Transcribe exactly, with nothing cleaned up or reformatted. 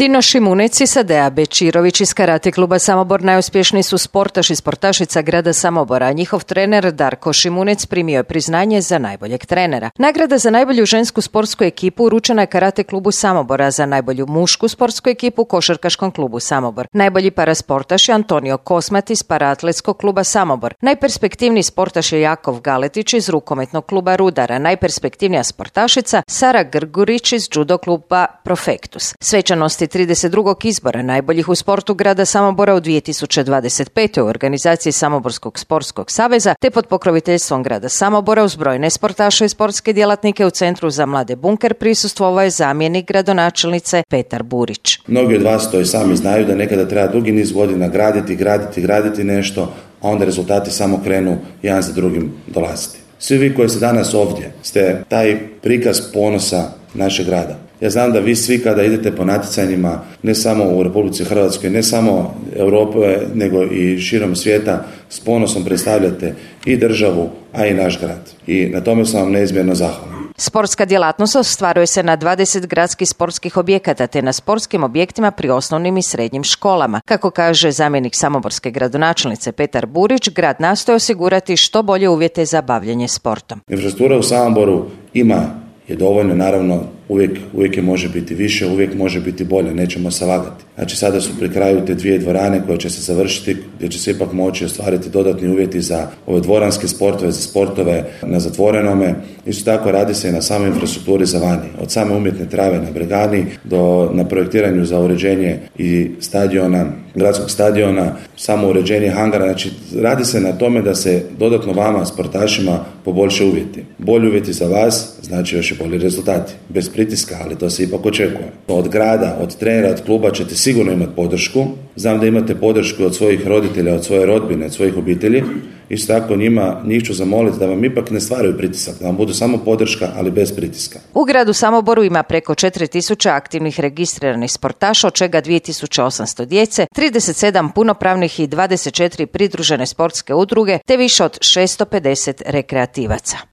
Dino Šimunec iz Sadea Bečirović iz Karate kluba Samobor najuspješniji su sportaš i sportašica grada Samobora, a njihov trener Darko Šimunec primio je priznanje za najboljeg trenera. Nagrada za najbolju žensku sportsku ekipu uručena je Karate klubu Samobora, za najbolju mušku sportsku ekipu Košarkaškom klubu Samobor. Najbolji parasportaš je Antonio Kosmat iz Paraatletskog kluba Samobor. Najperspektivniji sportaš je Jakov Galetić iz Rukometnog kluba Rudara. Najperspektivnija sportašica Sara Grgurić iz Judo kluba Profektus. Svečanosti trideset drugog izbora najboljih u sportu grada Samobora u dvije tisuće dvadeset pete u organizaciji Samoborskog sportskog saveza te pod pokroviteljstvom grada Samobora uz brojne sportaše i sportske djelatnike u Centru za mlade Bunker prisustvovao je zamjenik gradonačelnice Petar Burić. Mnogi od vas to i sami znaju da nekada treba dugi niz godina graditi, graditi, graditi nešto, a onda rezultati samo krenu jedan za drugim dolaziti. Svi vi koji ste danas ovdje ste taj prikaz ponosa našeg grada. Ja znam da vi svi kada idete po natjecanjima, ne samo u Republici Hrvatskoj, ne samo Europe, nego i širom svijeta, s ponosom predstavljate i državu, a i naš grad. I na tome sam vam neizmjerno zahvalan. Sportska djelatnost ostvaruje se na dvadeset gradskih sportskih objekata te na sportskim objektima pri osnovnim i srednjim školama. Kako kaže zamjenik samoborske gradonačelnice Petar Burić, grad nastoji osigurati što bolje uvjete za bavljenje sportom. Infrastruktura u Samoboru ima je dovoljno, naravno uvijek, uvijek je može biti više, uvijek može biti bolje, nećemo se lagati. Znači sada su pri kraju te dvije dvorane koje će se završiti, gdje će se ipak moći ostvariti dodatni uvjeti za ove dvoranske sportove, za sportove na zatvorenome. Isto tako radi se i na samoj infrastrukturi za vani, od same umjetne trave na Bregani do na projektiranju za uređenje i stadiona, gradskog stadiona, samo uređenje hangara. Znači radi se na tome da se dodatno vama, sportašima, poboljše uvjeti. Bolji uvjeti za vas znači još i bolji rezultati. Bez pritiska, ali to se ipak očekuje. Od grada, od trenera, od kluba ćete sigurno imati podršku. Znam da imate podršku od svojih roditelja, od svoje rodbine, od svojih obitelji. Isto tako njima, njih ću zamoliti da vam ipak ne stvaraju pritisak, da vam budu samo podrška, ali bez pritiska. U gradu Samoboru ima preko četiri tisuće aktivnih registriranih sportaša, od čega dvije tisuće osamsto djece, trideset sedam punopravnih i dvadeset četiri pridružene sportske udruge, te više od šesto pedeset rekreativaca.